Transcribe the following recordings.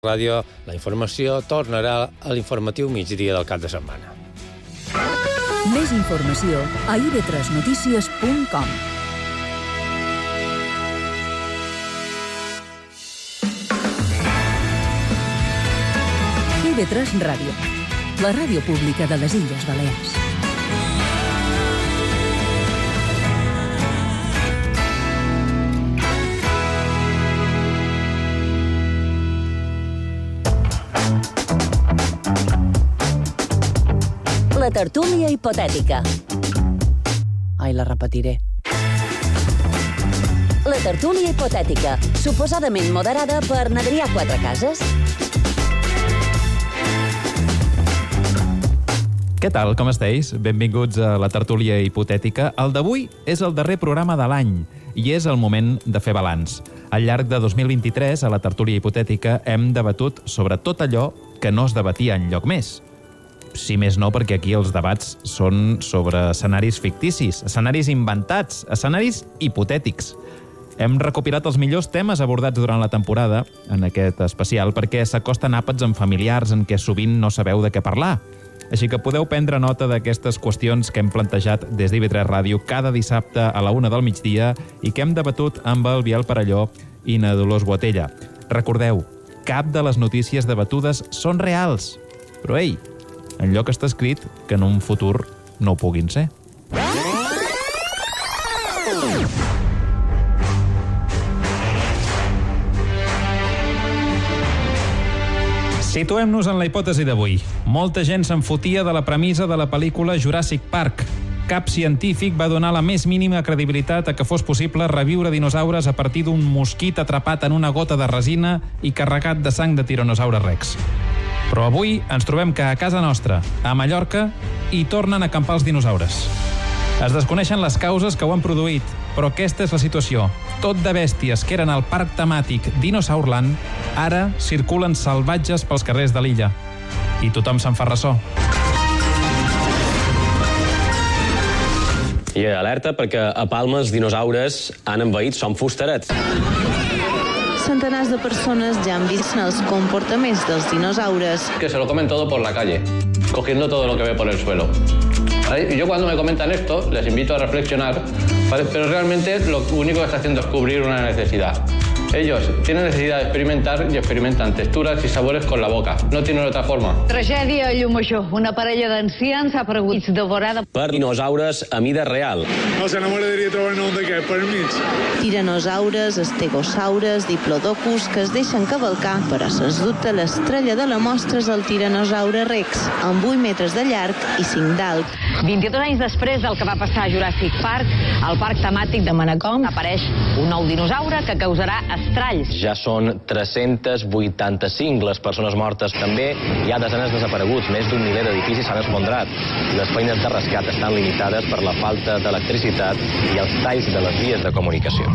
Ràdio, la informació tornarà a l'informatiu migdia del cap de setmana. Més informació a ib3notícies.com. IB3 Ràdio, la ràdio pública de les Illes Balears. La tertúlia hipotètica. Ai, la repetiré. La tertúlia hipotètica, suposadament moderada per n'Adrià Quatrecases. Què tal, com esteu? Benvinguts a la tertúlia hipotètica. El d'avui és el darrer programa de l'any i és el moment de fer balanç. Al llarg de 2023, a la tertúlia hipotètica, hem debatut sobre tot allò que no es debatia enlloc més. Si més no, perquè aquí els debats són sobre escenaris ficticis, escenaris inventats, escenaris hipotètics. Hem recopilat els millors temes abordats durant la temporada en aquest especial perquè s'acosten àpats amb familiars en què sovint no sabeu de què parlar. Així que podeu prendre nota d'aquestes qüestions que hem plantejat des d'IB3 Ràdio cada dissabte a la 1 del migdia i que hem debatut amb el Biel Parelló i na Dolors Boatella. Recordeu, cap de les notícies debatudes són reals, però ei, enlloc està escrit que en un futur no ho puguin ser. Situem-nos en la hipòtesi d'avui. Molta gent se'n fotia de la premissa de la pel·lícula Jurassic Park. Cap científic va donar la més mínima credibilitat a que fos possible reviure dinosaures a partir d'un mosquit atrapat en una gota de resina i carregat de sang de tiranosaure rex. Però avui ens trobem que a casa nostra, a Mallorca, hi tornen a acampar els dinosaures. Es desconeixen les causes que ho han produït, però aquesta és la situació. Tot de bèsties que eren al parc temàtic Dinosaurland, ara circulen salvatges pels carrers de l'illa. I tothom se'n fa ressò. I alerta perquè a Palma els dinosaures han envaït Son Fusterets. Centenars de persones ja han vist els comportaments dels dinosaures. Que se lo comen todo por la calle, cogiendo todo lo que ve por el suelo. Y yo cuando me comentan esto, les invito a reflexionar, ¿vale? Pero realmente lo único que está haciendo es cubrir una necesidad. Ellos tienen necesidad de experimentar y experimentan texturas y sabores con la boca. No tienen otra forma. Tragèdia a Llumajor. Una parella d'ancians ha aparegut devorada per dinosaures a mida real. No sé, no m'agradaria trobar-ne un d'aquest per mig. Tiranosaures, estegosaures, diplodocus que es deixen cavalcar, però sens dubte l'estrella de la mostra és el tiranosaure rex, amb 8 metres de llarg i 5 d'alt. 22 anys després del que va passar a Jurassic Park, al parc temàtic de Manacor apareix un nou dinosaure que causarà estralls. Ja són 385 les persones mortes. També hi ha desenes desapareguts. Més d'un miler d'edificis s'han esfondrat. Les feines de rescat estan limitades per la falta d'electricitat i els talls de les vies de comunicació.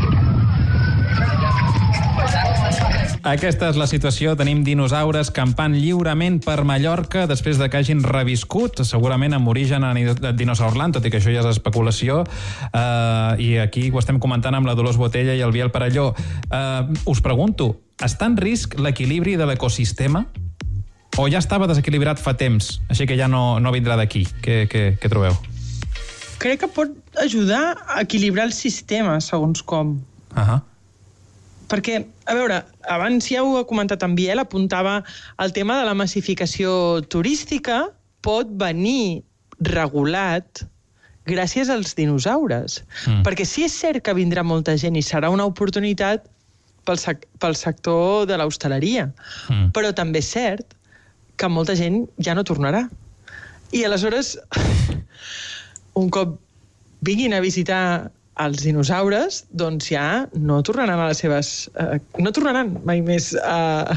Aquesta és la situació. Tenim dinosaures campant lliurement per Mallorca després de que hagin reviscut, segurament amb origen a Dinosaurland, tot i que això ja és especulació. I aquí ho estem comentant amb la Dolors Boatella i el Biel Parelló. Us pregunto, està en risc l'equilibri de l'ecosistema? O ja estava desequilibrat fa temps, així que ja no vindrà d'aquí? Què trobeu? Crec que pot ajudar a equilibrar el sistema, segons com. Perquè, a veure, abans ja ho ha comentat en Biel, apuntava el tema de la massificació turística pot venir regulat gràcies als dinosaures. Perquè sí és cert que vindrà molta gent i serà una oportunitat pel sector de l'hostaleria, però també és cert que molta gent ja no tornarà. I aleshores, un cop vinguin a visitar els dinosaures, doncs ja no tornaran a les seves... no tornaran mai més a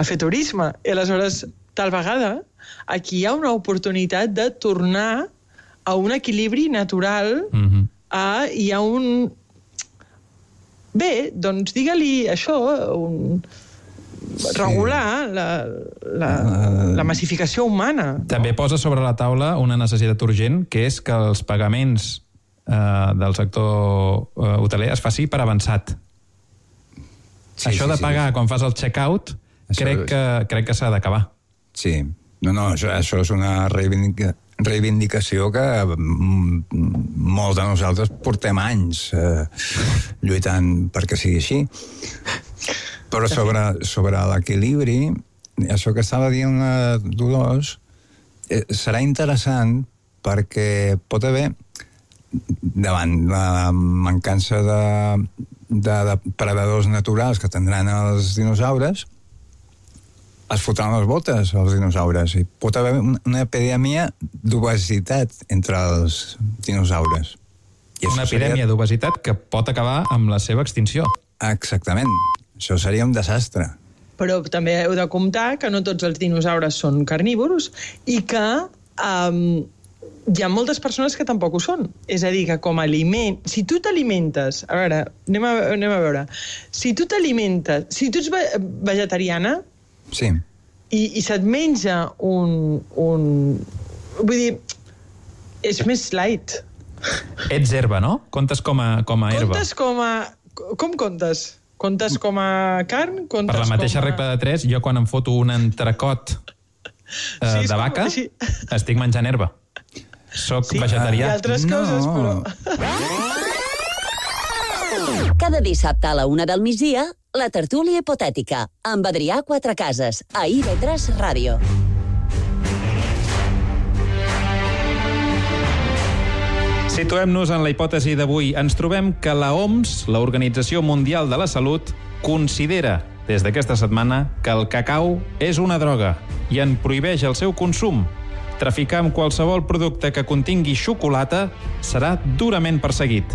fer turisme. I aleshores, tal vegada, aquí hi ha una oportunitat de tornar a un equilibri natural, hi ha un... Bé, doncs digue-li això, regular la massificació humana. També posa sobre la taula una necessitat urgent, que és que els pagaments del sector hoteler es faci per avançat. Això de pagar quan fas el check-out Crec que s'ha d'acabar. Sí. No, això és una reivindicació que molts de nosaltres portem anys lluitant perquè sigui així. Però sobre l'equilibri, això que estava dient la Dolors, serà interessant perquè pot haver, davant la mancança de predadors naturals que tindran els dinosaures, es fotran les botes als dinosaures i pot haver una epidèmia d'obesitat entre els dinosaures. Una epidèmia d'obesitat que pot acabar amb la seva extinció. Exactament. Això seria un desastre. Però també heu de comptar que no tots els dinosaures són carnívoros i que hi ha moltes persones que tampoc ho són. És a dir, que com a aliment... Si tu t'alimentes... A veure, anem a veure. Si tu t'alimentes... Si tu ets vegetariana... Sí. I se't menja un... Vull dir, és més light. Ets herba, no? Comptes com a herba. Comptes com a... Com comptes? Comptes com a carn? Per la mateixa regla de 3, jo quan em foto un entrecot de vaca, estic menjant herba. Soc vegetarià. I altres coses, però... Cada dissabte a la 1 del migdia, la tertúlia hipotètica, amb Adrià Quatrecases, a IB3 Ràdio. Situem-nos en la hipòtesi d'avui. Ens trobem que la OMS, l'Organització Mundial de la Salut, considera des d'aquesta setmana que el cacau és una droga i en prohibeix el seu consum. Traficar amb qualsevol producte que contingui xocolata serà durament perseguit.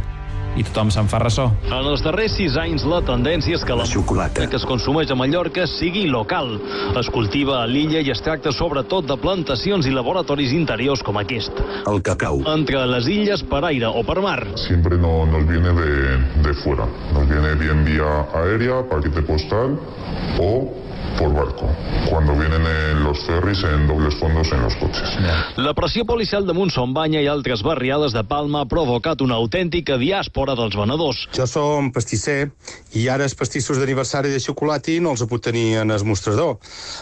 I tothom se'n fa ressò. En els darrers 6 anys, la tendència és que la xocolata que es consumeix a Mallorca sigui local. Es cultiva a l'illa i es tracta sobretot de plantacions i laboratoris interiors com aquest. El cacau. Entre les illes per aire o per mar. Siempre nos viene de fuera. Nos viene bien vía aérea, paquete postal o por barco, cuando vienen en los ferris en dobles fondos en los coches. La pressió policial de Montsombanya i altres barriades de Palma ha provocat una autèntica diàspora dels venedors. Jo som pastisser i ara els pastissos d'aniversari de xocolati no els puc tenir en el mostrador.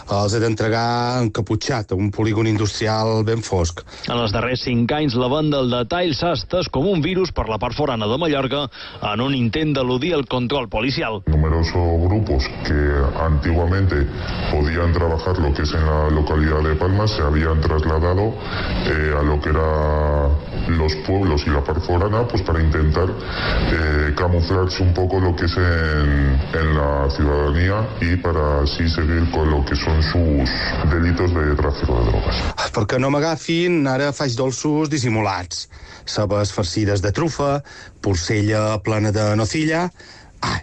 Els he d'entregar encaputxat a un polígon industrial ben fosc. En els darrers 5 anys, la venda al detall s'ha estès com un virus per la part forana de Mallorca en un intent d'eludir el control policial. Numerosos grupos que antiguamente podían trabajar lo que es en la localidad de Palma, se habían trasladado a lo que era los pueblos y la parte forana, pues para intentar camuflarse un poco lo que es en la ciudadanía y para así seguir con lo que son sus delitos de tráfico de drogas. Perquè no m'agafin, ara faig dolços dissimulats. Cebes farcides de trufa, porcella plena de nocilla,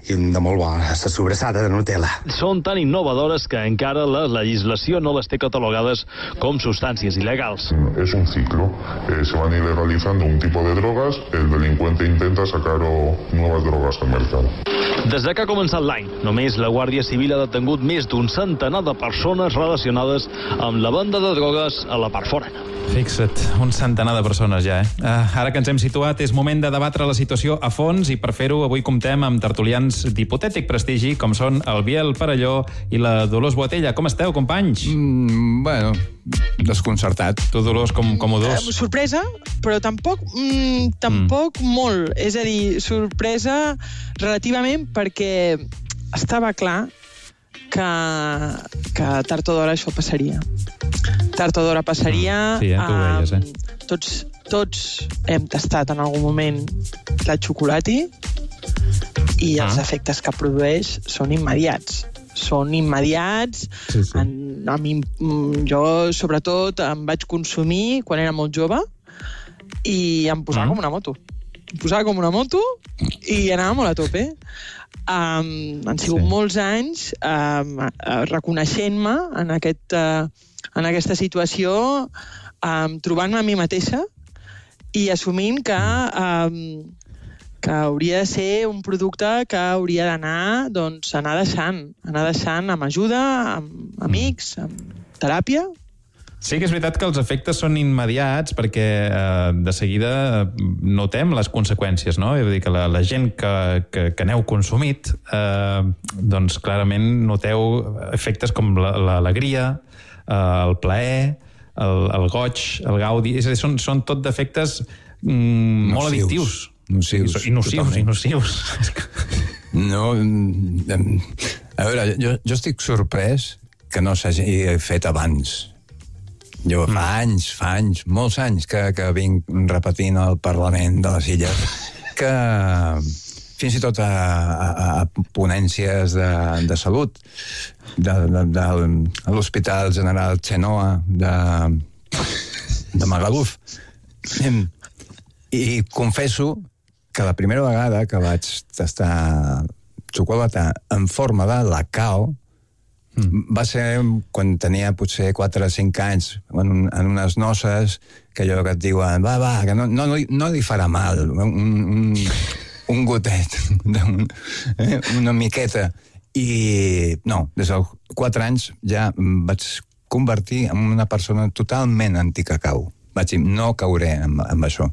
i de molt bo, la sobrassada de Nutella. Són tan innovadores que encara la legislació no les té catalogades com substàncies il·legals. Es un ciclo. Se van ilegalizando un tipo de drogas, el delincuente intenta sacar nuevas drogas al mercado. Des que ha començat l'any, només la Guàrdia Civil ha detengut més d'un centenar de persones relacionades amb la venda de drogues a la part forana. Fixa't, un centenar de persones ja, Ara que ens hem situat, és moment de debatre la situació a fons i per fer-ho avui comptem amb tertulians d'hipotètic prestigi, com són el Biel Parelló i la Dolors Boatella. Com esteu, companys? Bueno, desconcertat. Tu, Dolors, com ho dus? Sorpresa, però tampoc molt. És a dir, sorpresa relativament perquè estava clar que tard o d'hora això passaria. Tard o d'hora passaria. Sí, tu ho veies, Tots hem tastat en algun moment la xocolati i els efectes que produeix són immediats. Són immediats. Sí. Jo, sobretot, em vaig consumir quan era molt jove i em posava com una moto. Em posava com una moto i anava molt a tope. Han sigut molts anys reconeixent-me en aquesta situació, trobant-me a mi mateixa i assumint que hauria de ser un producte que hauria d'anar anar deixant amb ajuda, amb amics, amb teràpia, Sí que és veritat que els efectes són immediats perquè de seguida notem les conseqüències, no? Vull dir que la gent que n'heu consumit, doncs clarament noteu efectes com l'alegria, el plaer, el goig, el gaudi... És a dir, són tot d'efectes molt addictius. Nocius. I nocius. No, a veure, jo estic sorprès que no s'hagi fet abans. Jo fa anys, molts anys que vinc repetint al Parlament de les Illes que fins i tot a ponències de salut de l'Hospital General Chenoa de Magaluf. I confesso que la primera vegada que vaig tastar xocolata en forma de lacao va ser quan tenia potser 4 o 5 anys en unes noces que allò que et diuen va, que no li farà mal un gotet una miqueta i no, des dels 4 anys ja em vaig convertir en una persona totalment anticacau. Vaig dir, no cauré amb això.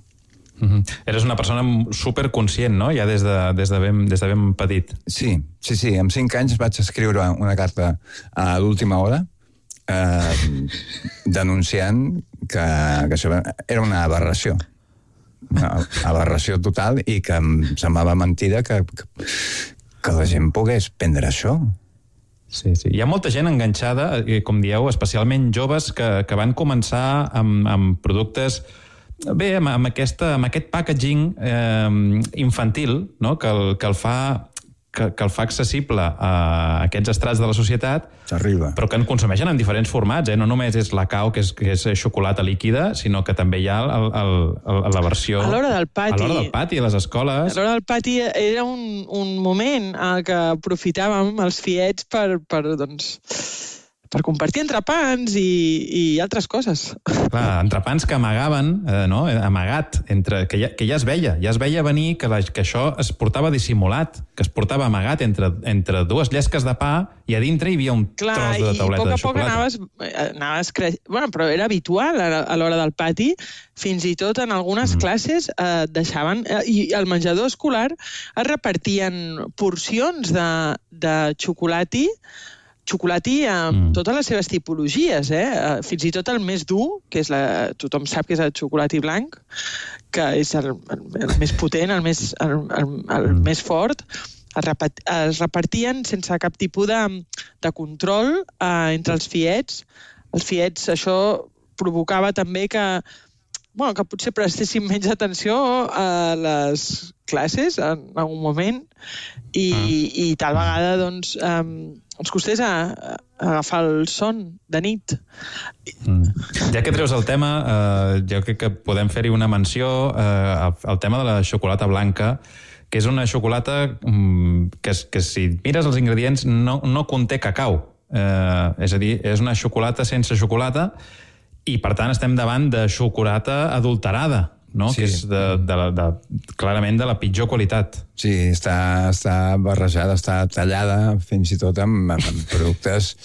Eres una persona superconscient, no? Ja des de ben petit. Sí. Amb 5 anys vaig escriure una carta a l'última hora denunciant que això era una aberració. Una aberració total i que em semblava mentida que la gent pogués prendre això. Sí. Hi ha molta gent enganxada, com dieu, especialment joves que van començar amb productes... Bé, amb aquest packaging infantil, no? que el fa accessible a aquests estrats de la societat, però que en consumeixen en diferents formats. No només és lacao, que és xocolata líquida, sinó que també hi ha la versió... A l'hora del pati. A l'hora del pati, a les escoles. A l'hora del pati era un moment en què aprofitàvem els fiets per compartir entrepans i altres coses. Clar, entrepans que amagaven, no? Amagat, que ja es veia venir que això es portava dissimulat, que es portava amagat entre dues llesques de pa i a dintre hi havia un tros de tauleta de xocolata. Clar, i a poc anaves creixent. Bueno, però era habitual a l'hora del pati, fins i tot en algunes classes deixaven... I al menjador escolar es repartien porcions de xocolati amb totes les seves tipologies, fins i tot el més dur, que és tothom sap que és el xocolati blanc, que és el més potent, el més fort, es repartien sense cap tipus de control entre els fiets. Els fiets, això provocava també que potser prestéssim menys atenció a les classes en algun moment i tal vegada doncs ens costés agafar el son de nit. Ja que treus el tema, jo crec que podem fer-hi una menció al tema de la xocolata blanca, que és una xocolata que si mires els ingredients no conté cacau. És a dir, és una xocolata sense xocolata i, per tant, estem davant de xocolata adulterada, no? Sí. Que és clarament de la pitjor qualitat. Sí, està barrejada, està tallada fins i tot amb productes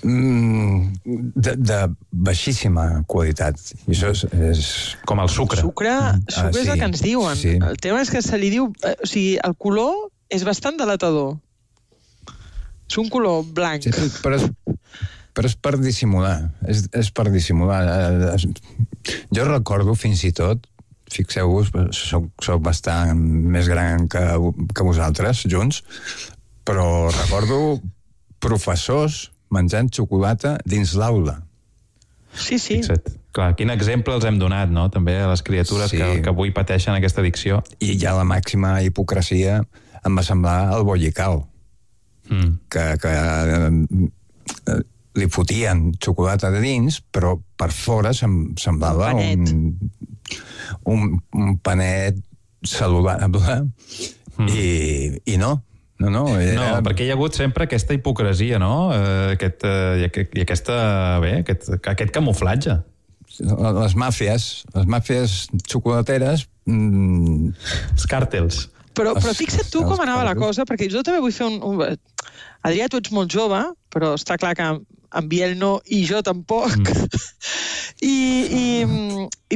de baixíssima qualitat. I això és... Com el sucre. Sucre és el que ens diuen. Sí. El tema és que se li diu... O sigui, el color és bastant delatador. És un color blanc. Sí, però és per dissimular. És per dissimular. Jo recordo fins i tot, fixeu-vos, soc bastant més gran que vosaltres, junts, però recordo professors menjant xocolata dins l'aula. Sí. Fixa't. Clar, quin exemple els hem donat, no?, també a les criatures que avui pateixen aquesta addicció. I ja la màxima hipocresia em va semblar el bollicao, que li fotien xocolata de dins, però per fora semblava un panet saludable i no. No, perquè hi ha hagut sempre aquesta hipocresia, no? Aquest camuflatge. Les màfies xocolateres... Els càrtels. Però fixa't tu com anava la cosa, perquè jo també vull fer un... Adrià, tu ets molt jove, però està clar que en Biel no, i jo tampoc. I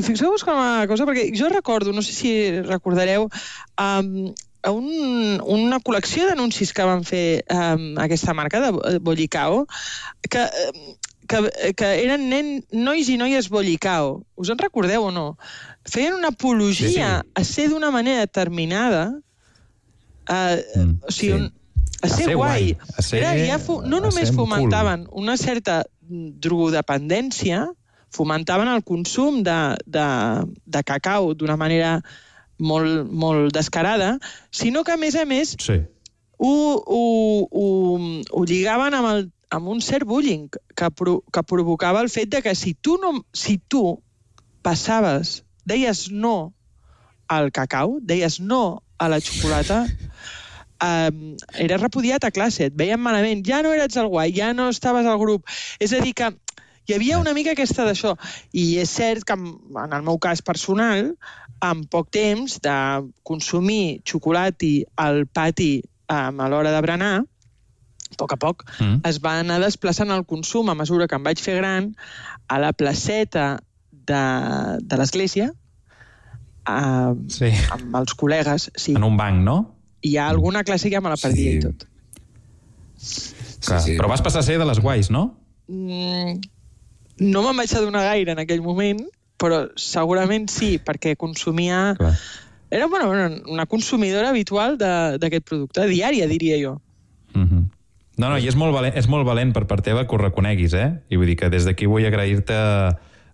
fixeu-vos com una cosa, perquè jo recordo, no sé si recordareu, una col·lecció d'anuncis que van fer aquesta marca de Bollicao, que eren nois i noies Bollicao. Us en recordeu o no? Feien una apologia a ser d'una manera determinada, o sigui, a ser guai. No només fomentaven una certa drogodependència, fomentaven el consum de cacau d'una manera molt descarada, sinó que, a més, ho lligaven amb un cert bullying que provocava el fet de que si tu passaves, deies no al cacau, deies no a la xocolata, eres repudiat a classe, et veien malament, ja no eres el guai, ja no estaves al grup. És a dir, que hi havia una mica aquesta d'això. I és cert que, en el meu cas personal, en poc temps de consumir xocolati al pati a l'hora de berenar, a poc, es va anar desplaçant el consum a mesura que em vaig fer gran a la placeta de l'església, amb els col·legues. En un banc, no? Hi ha alguna classe que ja me la perdia i tot. Però vas passar a ser de les guais, no? No me'n vaig adonar gaire en aquell moment, però segurament sí, perquè consumia... Era una consumidora habitual d'aquest producte, diària, diria jo. No, i és molt valent per part teva que ho reconeguis, I vull dir que des d'aquí vull agrair-te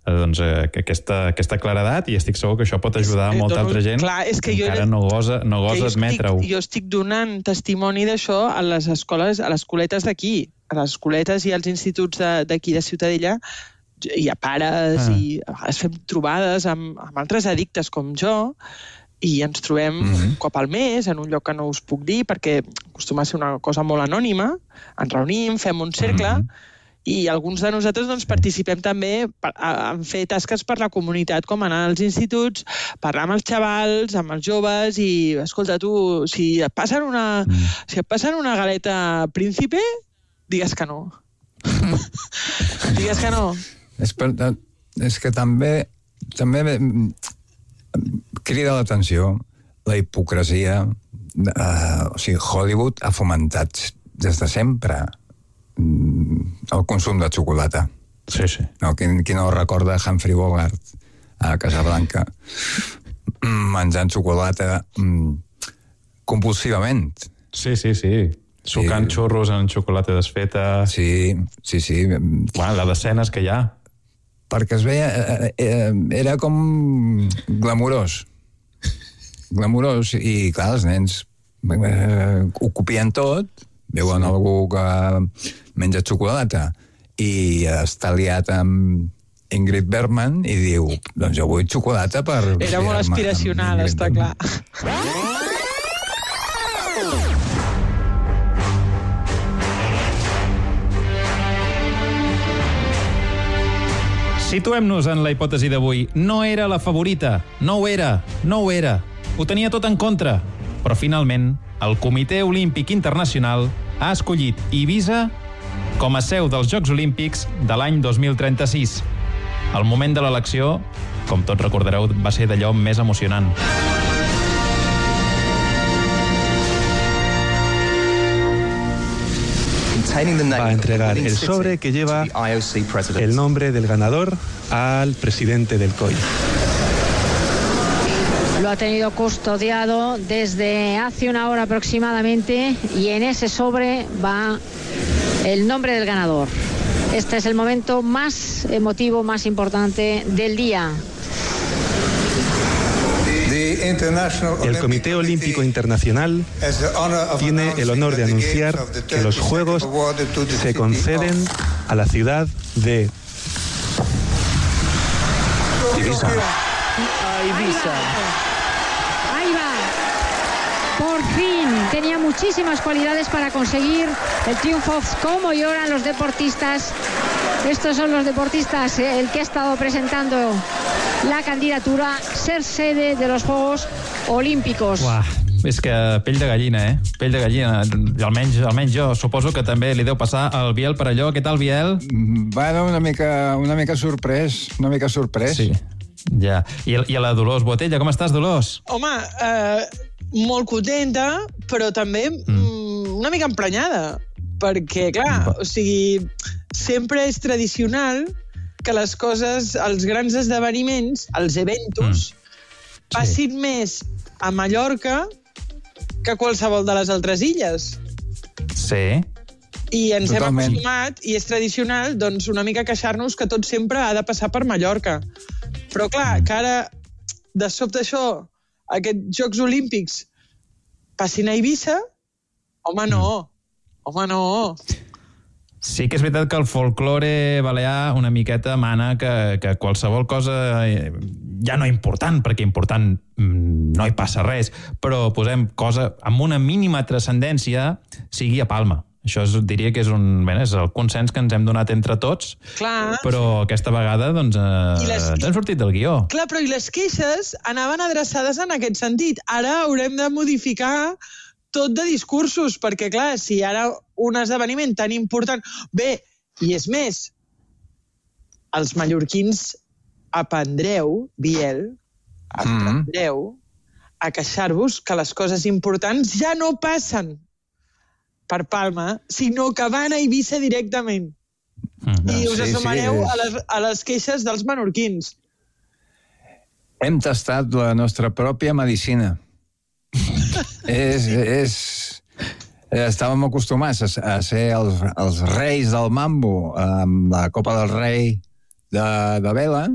aquesta claredat i estic segur que això pot ajudar a molta altra gent que encara no gosa admetre-ho. Jo estic donant testimoni d'això a les escoles, a les escoletes d'aquí, a les escoletes i als instituts d'aquí de Ciutadella. Hi ha pares i a vegades fem trobades amb altres addictes com jo i ens trobem un cop al mes en un lloc que no us puc dir perquè acostuma a ser una cosa molt anònima. Ens reunim, fem un cercle i alguns de nosaltres participem també en fer tasques per la comunitat, com anar als instituts, parlar amb els xavals, amb els joves i, escolta, tu, si et passen una galeta príncipe, digues que no. Digues que no. És que també crida l'atenció la hipocresia. O sigui, Hollywood ha fomentat des de sempre el consum de xocolata. Sí. No, qui no recorda Humphrey Bogart a Casablanca menjant xocolata compulsivament. Sí. Sucant xurros en xocolata desfeta. Sí. La d'escenes que hi ha. Perquè es veia... Era com glamurós. Glamurós. I, clar, els nens ho copien tot, veuen algú que menja xocolata i està liat amb Ingrid Bergman i diu, doncs jo vull xocolata per... Era molt aspiracional, està clar. Situem-nos en la hipòtesi d'avui. No era la favorita. No ho era. Ho tenia tot en contra. Però finalment, el Comitè Olímpic Internacional ha escollit Ibiza com a seu dels Jocs Olímpics de l'any 2036. El moment de l'elecció, com tots recordareu, va ser d'allò més emocionant. Va a entregar el sobre que lleva el nombre del ganador al presidente del COI. Lo ha tenido custodiado desde hace una hora aproximadamente y en ese sobre va el nombre del ganador. Este es el momento más emotivo, más importante del día. El Comité Olímpico Internacional tiene el honor de anunciar que los Juegos se conceden a la ciudad de Ibiza. Ahí va. Por fin. Tenía muchísimas cualidades para conseguir el triunfo. Cómo lloran los deportistas. Estos son los deportistas, el que ha estado presentando la candidatura, ser sede de los Juegos Olímpicos. Uah, És que pell de gallina, Pell de gallina. Almenys jo suposo que també li deu passar al Biel per allò. Què tal, Biel? Bueno, una mica sorprès. Sí, ja. I a la Dolors Botella, com estàs, Dolors? Home, molt contenta, però també una mica emprenyada. Perquè, clar, o sigui, sempre és tradicional que les coses, els grans esdeveniments, els eventos, passin més a Mallorca que qualsevol de les altres illes. Sí. I ens hem acostumat, i és tradicional, doncs, una mica queixar-nos que tot sempre ha de passar per Mallorca. Però, clar, que ara, de sobte això, aquests Jocs Olímpics passin a Eivissa, home, no. Sí que és veritat que el folklore balear una miqueta mana que qualsevol cosa ja no important, perquè important no hi passa res, però posem cosa amb una mínima transcendència sigui a Palma. Això diria que és el consens que ens hem donat entre tots. Clar. Però aquesta vegada doncs, ens hem sortit del guió. Clar, però i les queixes anaven adreçades en aquest sentit. Ara haurem de modificar tot de discursos, perquè, clar, si ara un esdeveniment tan important... Bé, i és més, els mallorquins aprendreu, Biel, a queixar-vos que les coses importants ja no passen per Palma, sinó que van a Eivissa directament. I us assumareu a les queixes dels menorquins. Hem tastat la nostra pròpia medicina. Estàvem acostumats a ser els reis del mambo amb la Copa del Rei de vela,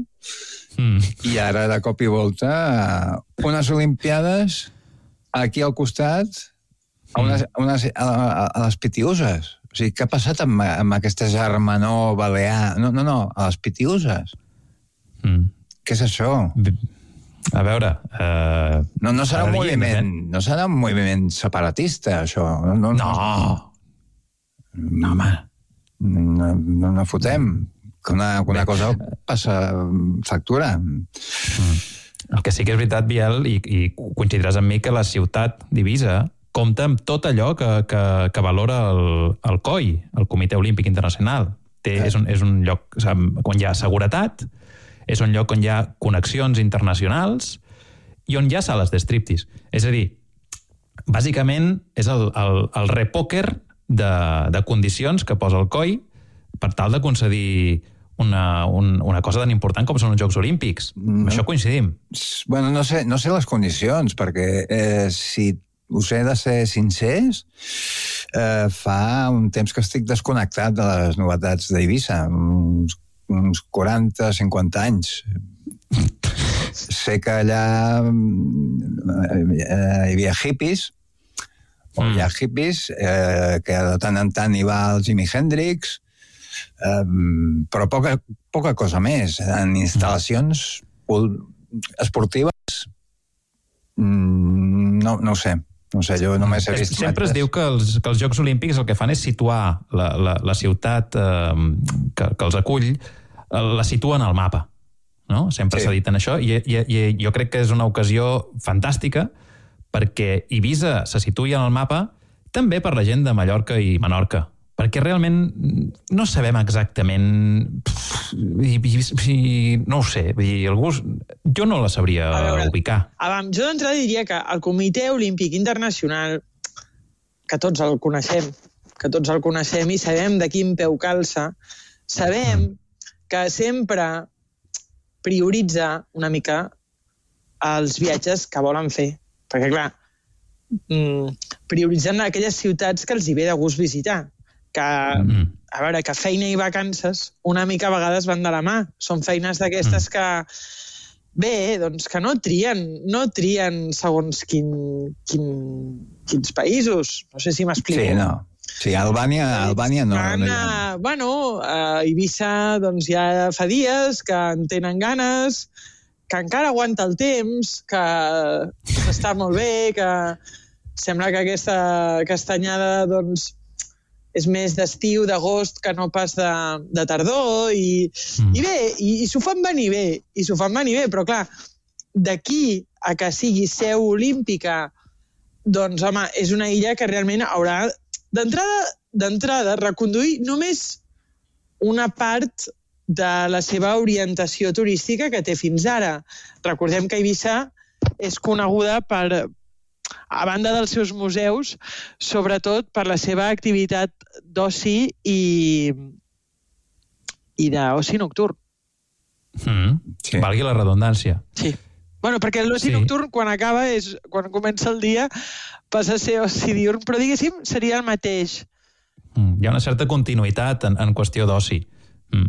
i ara de cop i volta unes Olimpiades aquí al costat a les Pitiuses. O sigui, què ha passat amb aquesta germanor balear? No, a les Pitiuses. Què és això? A veure... No serà un moviment separatista, això. No, home. No fotem. Que una cosa passa factura. El que sí que és veritat, Biel, i coincidiràs amb mi, que la ciutat d'Eivissa compta amb tot allò que valora el COI, el Comitè Olímpic Internacional. És un lloc on hi ha seguretat, és un lloc on hi ha connexions internacionals i on hi ha sales d'striptease. És a dir, bàsicament és el repòquer de condicions que posa el COI per tal de concedir una cosa tan important com són els Jocs Olímpics. Amb això coincidim. Bueno, no sé les condicions, perquè si us he de ser sincers, fa un temps que estic desconnectat de les novetats d'Eivissa, uns 40-50 anys. Sé que allà hi havia hippies, que de tant en tant hi va el Jimi Hendrix, però poca cosa més. En instal·lacions esportives no ho sé. No sé, jo només he vist... Sempre es diu que els Jocs Olímpics el que fan és situar la ciutat que els acull, la situen al mapa. No? Sempre s'ha dit en això, i jo crec que és una ocasió fantàstica perquè Eivissa se situï en el mapa també per la gent de Mallorca i Menorca, perquè realment no sabem exactament... No ho sé, jo no la sabria ubicar. Jo d'entrada diria que el Comitè Olímpic Internacional, que tots el coneixem i sabem de quin peu calça, sabem que sempre prioritza una mica els viatges que volen fer. Perquè, clar, prioritzen aquelles ciutats que els hi ve de gust visitar. Que, a veure, que feina i vacances una mica a vegades van de la mà. Són feines d'aquestes que, bé, doncs que no trien segons quins països. No sé si m'explico. Sí, no. Sí, Albània no. Bueno, a Eivissa doncs ja fa dies que en tenen ganes, que encara aguanta el temps, que està molt bé, que sembla que aquesta castanyada doncs és més d'estiu, d'agost, que no pas de tardor, i bé, i s'ho fan venir bé, però clar, d'aquí a que sigui seu olímpica doncs, home, és una illa que realment haurà d'entrada reconduir només una part de la seva orientació turística que té fins ara. Recordem que Eivissa és coneguda per, a banda dels seus museus, sobretot per la seva activitat d'oci i d'oci nocturn. Sí. Valgui la redundància. Sí. Bueno, perquè l'oci nocturn, quan acaba, és quan comença el dia, passa a ser oci diurn, però diguéssim, seria el mateix. Hi ha una certa continuïtat en qüestió d'oci.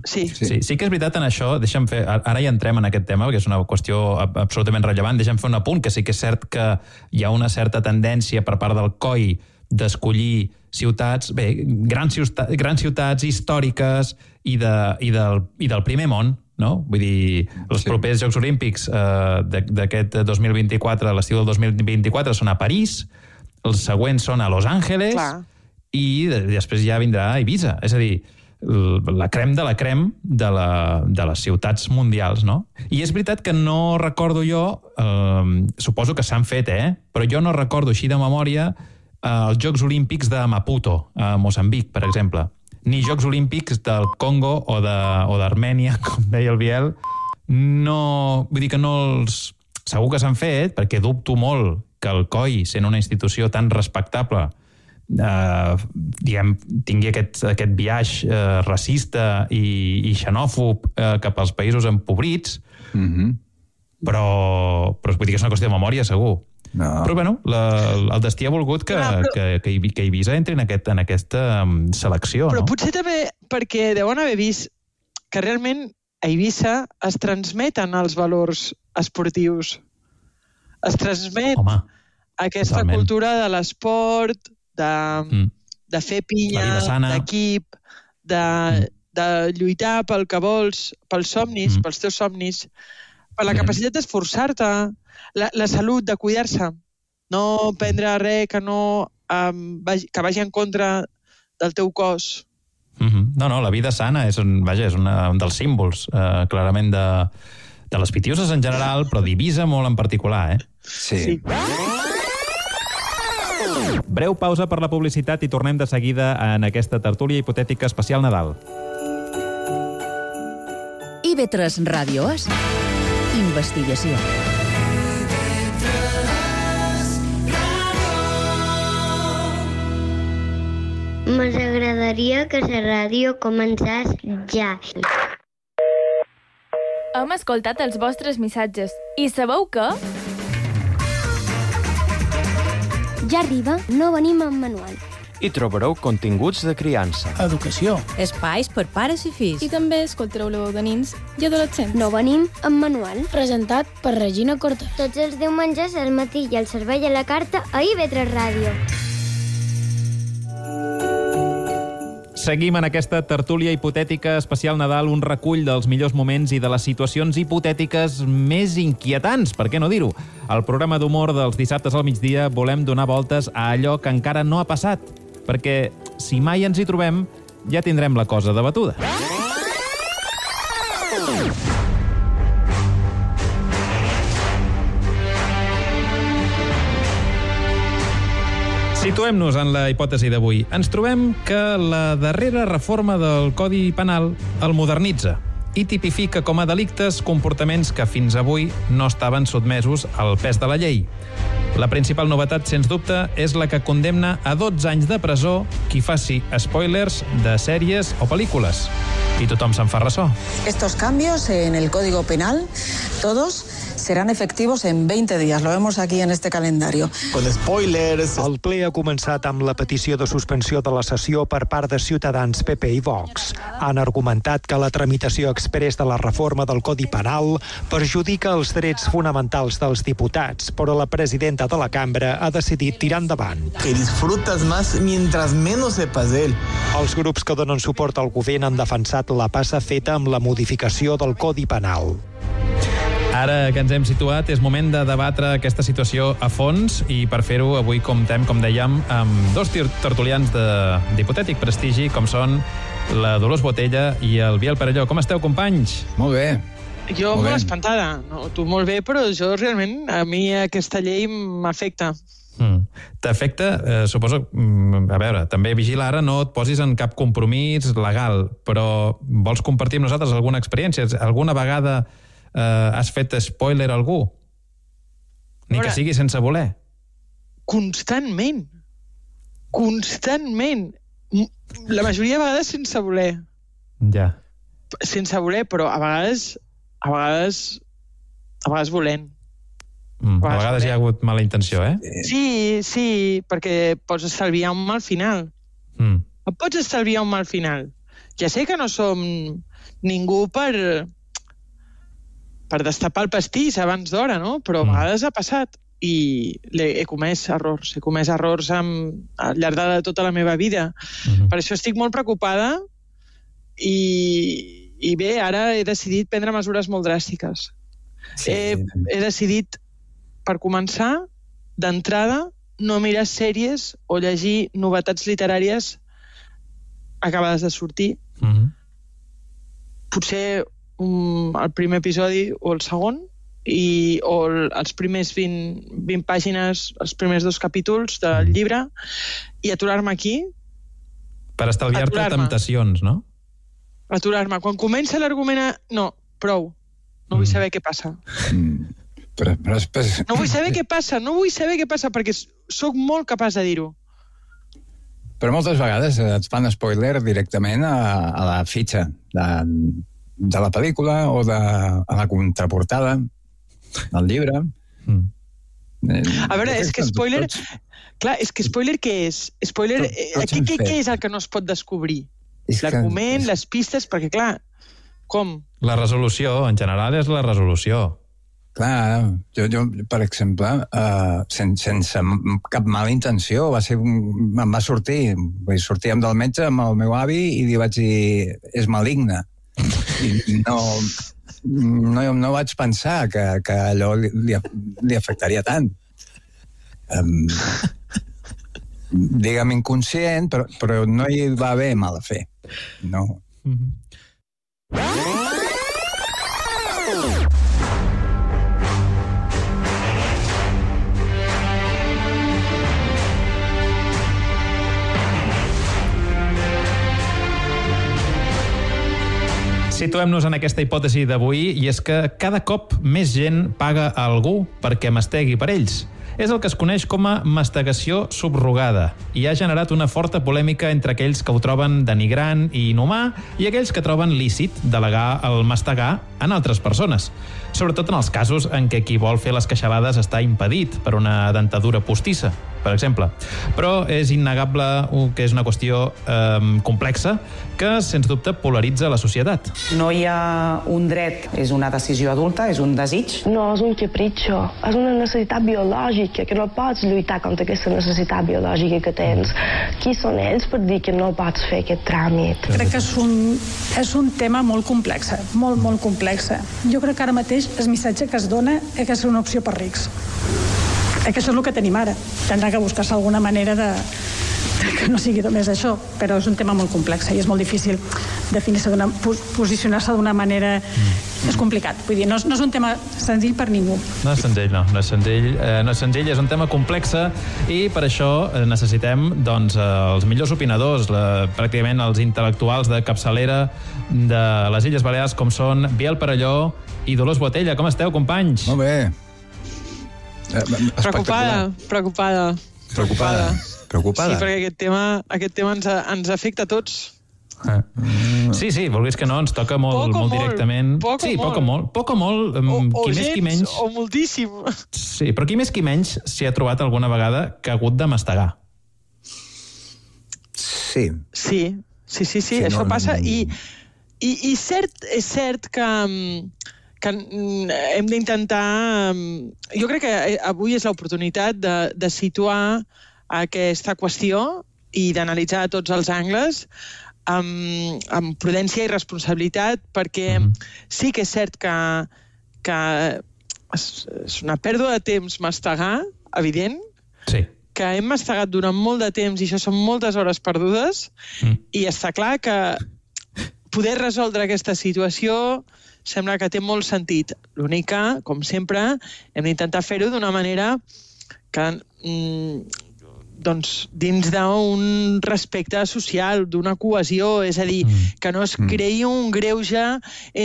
Sí que és veritat en això, deixa'm fer, ara ja entrem en aquest tema, perquè és una qüestió absolutament rellevant, deixa'm fer un apunt, que sí que és cert que hi ha una certa tendència per part del COI d'escollir ciutats, bé, grans ciutats històriques i del primer món, no? Vull dir, els propers Jocs Olímpics d'aquest 2024, l'estiu del 2024, són a París, els següents són a Los Angeles, i després ja vindrà a Eivissa. És a dir, la crem de la crem de les ciutats mundials, no? I és veritat que no recordo jo, suposo que s'han fet, però jo no recordo així de memòria els Jocs Olímpics de Maputo, a Moçambic, per exemple, ni Jocs Olímpics del Congo o d'Armènia, com deia el Biel. No, vull dir que no els... Segur que s'han fet, perquè dubto molt que el COI, sent una institució tan respectable, tingui aquest biaix racista i xenòfob cap als països empobrits, però vull dir que és una qüestió de memòria, segur. Però, bueno, el destí ha volgut que Eivissa entri en aquesta selecció, no? Però potser també perquè deuen haver vist que realment a Eivissa es transmeten els valors esportius. Es transmet aquesta cultura de l'esport, de fer pinya, d'equip, de lluitar pel que vols, pels somnis, pels teus somnis, per la capacitat d'esforçar-te, la salut, de cuidar-se, no prendre res que vagi en contra del teu cos. No, la vida sana és un dels símbols, clarament, de les pitiuses en general, però d'Eivissa molt en particular, Sí. Breu pausa per la publicitat i tornem de seguida en aquesta tertúlia hipotètica especial Nadal. IB3 Ràdio és investigació. M'agradaria que la ràdio començés ja. Hem escoltat els vostres missatges i sabeu què? Ja arriba, no venim amb manual. Hi trobareu continguts de criança, educació, espais per pares i fills. I també escoltareu la veu de nins i adolescents. No venim amb manual. Presentat per Regina Cortés. Tots els diumenges al matí i al servei a la carta a IB3 Ràdio. Seguim en aquesta tertúlia hipotètica especial Nadal, un recull dels millors moments i de les situacions hipotètiques més inquietants, per què no dir-ho? Al programa d'humor dels dissabtes al migdia volem donar voltes a allò que encara no ha passat, perquè si mai ens hi trobem ja tindrem la cosa debatuda. Situem-nos en la hipòtesi d'avui. Ens trobem que la darrera reforma del Codi Penal el modernitza i tipifica com a delictes comportaments que fins avui no estaven sotmesos al pes de la llei. La principal novetat, sens dubte, és la que condemna a 12 anys de presó qui faci spoilers de sèries o pel·lícules. I tothom se'n fa ressò. Estos cambios en el Código Penal, todos, serán efectivos en 20 días. Lo vemos aquí en este calendario. Con spoilers. El ple ha començat amb la petició de suspensió de la sessió per part de Ciutadans, PP i Vox. Han argumentat que la tramitació exprés de la reforma del Codi Penal perjudica els drets fonamentals dels diputats, però la presidenta de la cambra ha decidit tirar endavant. Que disfrutas más mientras menos sepas de él. Els grups que donen suport al govern han defensat la passa feta amb la modificació del Codi Penal. Ara que ens hem situat, és moment de debatre aquesta situació a fons i per fer-ho avui comptem, com dèiem, amb dos tertulians d'hipotètic prestigi, com són la Dolors Botella i el Biel Perelló. Com esteu, companys? Molt bé. Jo molt espantada. No, tu molt bé, però jo realment, a mi aquesta llei m'afecta. T'afecta, suposo, a veure, també vigila ara, no et posis en cap compromís legal, però vols compartir amb nosaltres alguna experiència? Alguna vegada has fet spoiler a algú? Ni que sigui sense voler. Constantment. La majoria de vegades sense voler. Ja. Sense voler, però a vegades volent. A vegades hi ha hagut mala intenció, eh? Sí, perquè pots estalviar un mal final. Et pots estalviar un mal final. Ja sé que no som ningú per destapar el pastís abans d'hora, no? Però a vegades ha passat i he comès errors al llarg de tota la meva vida. Per això estic molt preocupada i bé, ara he decidit prendre mesures molt dràstiques. He decidit, per començar, d'entrada, no mirar sèries o llegir novetats literàries acabades de sortir. Potser el primer episodi o el segon, o els primers 20 pàgines, els primers 2 capítols del llibre, i aturar-me aquí. Per estalviar-te temptacions, no? Aturar-me. Quan comença l'argument no, prou. No vull saber què passa. No vull saber què passa, perquè sóc molt capaç de dir-ho. Però moltes vegades et fan spoiler directament a la fitxa de la pel·lícula o a la contraportada del llibre. A veure, és que spoiler... Clar, és que spoiler què és? Spoiler, què és el que no es pot descobrir? L'argument, les pistes, perquè clar, com? La resolució, en general, és la resolució. Clar, jo per exemple, sense cap mala intenció, em va sortir, sortíem del metge amb el meu avi i li vaig dir, és maligne. I no vaig pensar que allò li afectaria tant. Digue'm inconscient, però no hi va haver mala fe. No. Situem-nos en aquesta hipòtesi d'avui, i és que cada cop més gent paga a algú perquè mastegui per ells. És el que es coneix com a mastegació subrogada i ha generat una forta polèmica entre aquells que ho troben denigrant i inhumà i aquells que troben lícit delegar el mastegar en altres persones, sobretot en els casos en què qui vol fer les queixalades està impedit per una dentadura postissa, per exemple. Però és innegable que és una qüestió complexa que, sens dubte, polaritza la societat. No hi ha un dret, és una decisió adulta, és un desig. No és un capritxo, és una necessitat biològica, que no pots lluitar contra aquesta necessitat biològica que tens. Qui són ells per dir que no pots fer aquest tràmit? Crec que és un tema molt complex, molt, molt complex. Jo crec que ara mateix el missatge que es dona és que és una opció per rics. Que això és el que tenim ara. Tindrà que buscar-se alguna manera que no sigui només això, però és un tema molt complex i és molt difícil definir-se, posicionar-se d'una manera... És complicat, vull dir, no és un tema senzill per ningú. No és senzill, no és senzill, és un tema complex i per això necessitem doncs, els millors opinadors, pràcticament els intel·lectuals de capçalera de les Illes Balears, com són Biel Perelló i Dolors Botella. Com esteu, companys? Molt bé. Preocupada. Sí, perquè aquest tema ens afecta a tots. Sí, vulguis que no, ens toca molt directament. Poc o molt, qui més qui menys. O moltíssim. Sí, però qui més qui menys s'hi ha trobat alguna vegada que ha hagut de mastegar. Sí. Sí, això passa i és cert que hem d'intentar... Jo crec que avui és l'oportunitat de situar aquesta qüestió i d'analitzar tots els angles amb prudència i responsabilitat, perquè sí que és cert que és una pèrdua de temps mastegar, evident, que hem mastegat durant molt de temps i això són moltes hores perdudes, i està clar que poder resoldre aquesta situació sembla que té molt sentit. L'únic que, com sempre, hem d'intentar fer-ho d'una manera que, doncs, dins d'un respecte social, d'una cohesió, és a dir, que no es creï un greuge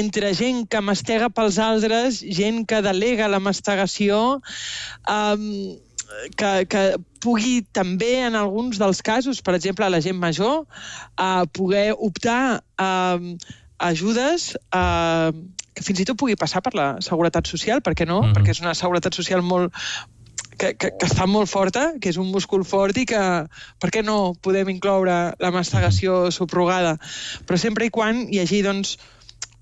entre gent que mastega pels altres, gent que delega la mastegació, que pugui també, en alguns dels casos, per exemple, a la gent major, poder optar a ajudes que fins i tot pugui passar per la seguretat social, per què no? Perquè és una seguretat social que està molt forta, que és un múscul fort i que, per què no podem incloure la mastegació subrogada? Però sempre i quan hi hagi, doncs,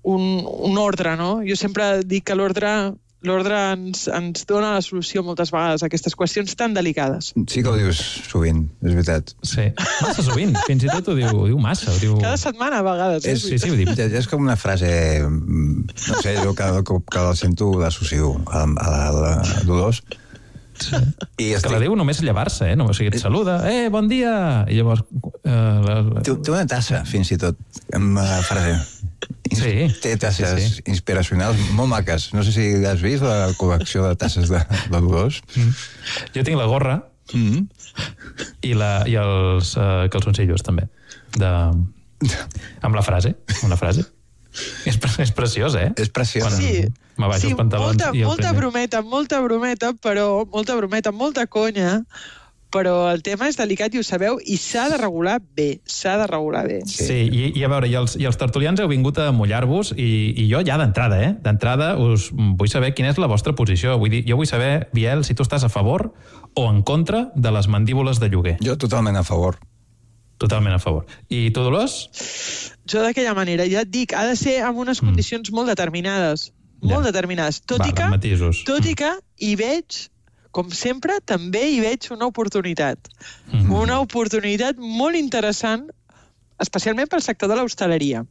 un ordre, no? Jo sempre dic que l'ordre ens dona la solució moltes vegades a aquestes qüestions tan delicades. Sí que ho dius sovint, és veritat. Sí, massa sovint, fins i tot ho diu massa. Cada setmana a vegades. Sí, ho dic. És com una frase, no sé, jo cada cop que la sento l'associo a la Dolors. Sí. Que la diu només llevar-se, o sigui, et saluda, bon dia, i llavors... Té una tassa, fins i tot, amb la frase. Té tasses inspiracionals molt maques. No sé si has vist la col·lecció de tasses de Dolors. Jo tinc la gorra i els calçoncillos, també, amb la frase. És preciós, eh? És preciós. Sí, m'abaixo els pantalons i el molta brometa, però molta conya, però el tema és delicat i ho sabeu, i s'ha de regular bé, Sí, i a veure, i els tertulians heu vingut a mullar-vos, i jo ja d'entrada, d'entrada us vull saber quina és la vostra posició. Vull dir, jo vull saber, Biel, si tu estàs a favor o en contra de les mandíbules de lloguer. Jo totalment a favor. Totalment a favor. I tu, Dolors? Jo d'aquella manera, ja et dic, ha de ser amb unes condicions molt determinades. Tot i que hi veig, com sempre, també hi veig una oportunitat. Una oportunitat molt interessant, especialment pel sector de l'hostaleria.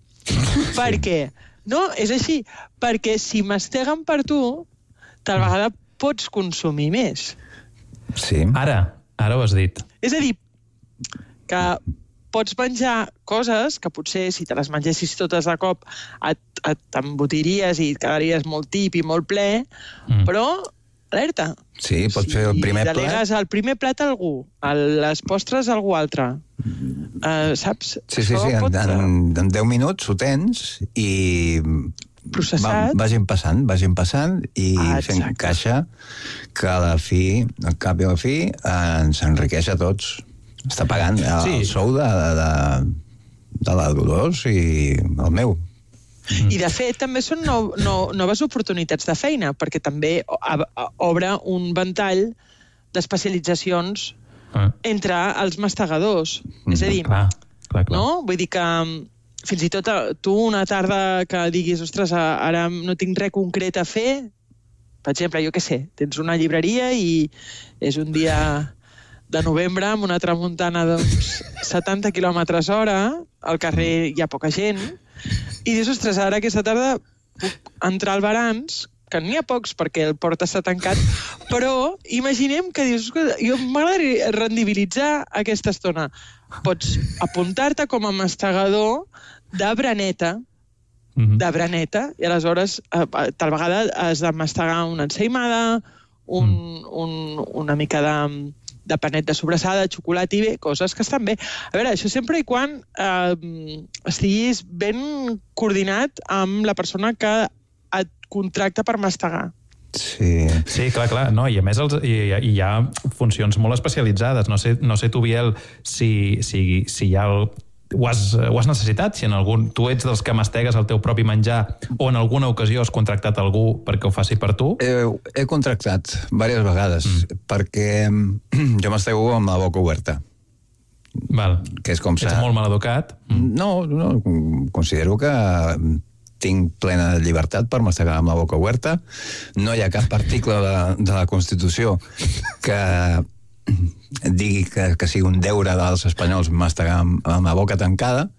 Per què? No, és així. Perquè si masteguen per tu, tal vegada pots consumir més. Sí. Ara ho has dit. És a dir, que pots menjar coses que potser si te les mengessis totes de cop t'embotiries i et quedaries molt tip i molt ple, però alerta. Sí, pots fer el primer plat. Delegues el primer plat a algú, les postres a algú altre. Saps? Sí, en 10 minuts ho tens i processat. Vagin passant i fent caixa que a la fi, al cap i a la fi, ens enriqueix a tots. Està pagant el sou de la Dolors i el meu. I, de fet, també són noves oportunitats de feina, perquè també obre un ventall d'especialitzacions entre els mastegadors. És a dir, no? Vull dir que fins i tot tu una tarda que diguis, ostres, ara no tinc res concret a fer, per exemple, jo què sé, tens una llibreria i és un dia de novembre amb una tramuntana d'uns 70 km/h, al carrer hi ha poca gent, i dius, ostres, ara aquesta tarda puc entrar al Barans, que n'hi ha pocs perquè el port està tancat, però imaginem que dius, jo m'agradaria rendibilitzar aquesta estona. Pots apuntar-te com a mastegador de braneta, i aleshores tal vegada has de mastegar una ensaïmada, una mica de panet de sobrassada, de xocolata i bé, coses que estan bé. A veure, això sempre i quan estiguis ben coordinat amb la persona que et contracta per mastegar. Sí, clar. No, i a més hi ha funcions molt especialitzades. No sé tu, Biel, si ja ho has necessitat, si tu ets dels que mastegues el teu propi menjar o en alguna ocasió has contractat algú perquè ho faci per tu? He contractat diverses vegades, perquè jo mastego amb la boca oberta. Que és com ets molt mal educat? No, considero que tinc plena llibertat per mastegar amb la boca oberta. No hi ha cap article de la Constitució que digui que sigui un deure dels espanyols mastegar amb la boca tancada,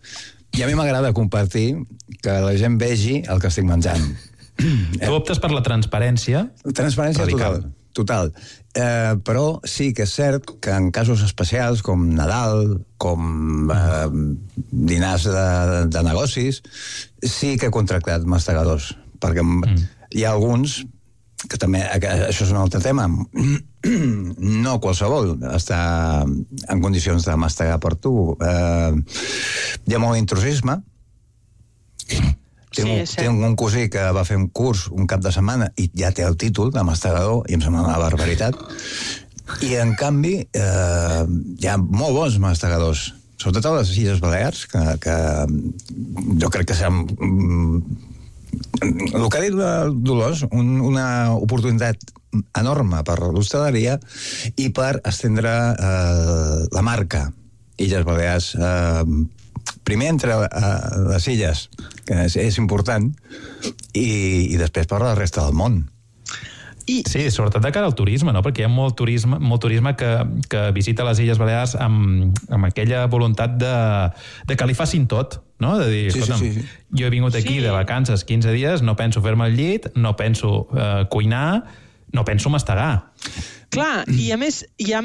i a mi m'agrada compartir que la gent vegi el que estic menjant. Tu optes per la transparència. Transparència total. total. Però sí que és cert que en casos especials, com Nadal, com dinars de negocis, sí que he contractat mastegadors, perquè hi ha alguns que també, això és un altre tema, no qualsevol està en condicions de mastegar per tu. Hi ha molt intrusisme. Tinc un cosí que va fer un curs un cap de setmana i ja té el títol de mastegador i em sembla una barbaritat. I, en canvi, hi ha molt bons mastegadors, sobretot a les Illes Balears, que jo crec que seran... El que ha dit Dolors, una oportunitat enorme per l'hostaleria i per estendre la marca Illes Balears primer entre les illes, que és important, i després per la resta del món. Sí, sobretot de cara al turisme, no? Perquè hi ha molt turisme que visita les Illes Balears amb aquella voluntat de que li facin tot, no? De dir, escolta'm, jo he vingut aquí de vacances 15 dies, no penso fer-me el llit, no penso cuinar, no penso mastegar. Clar, i a més hi ha...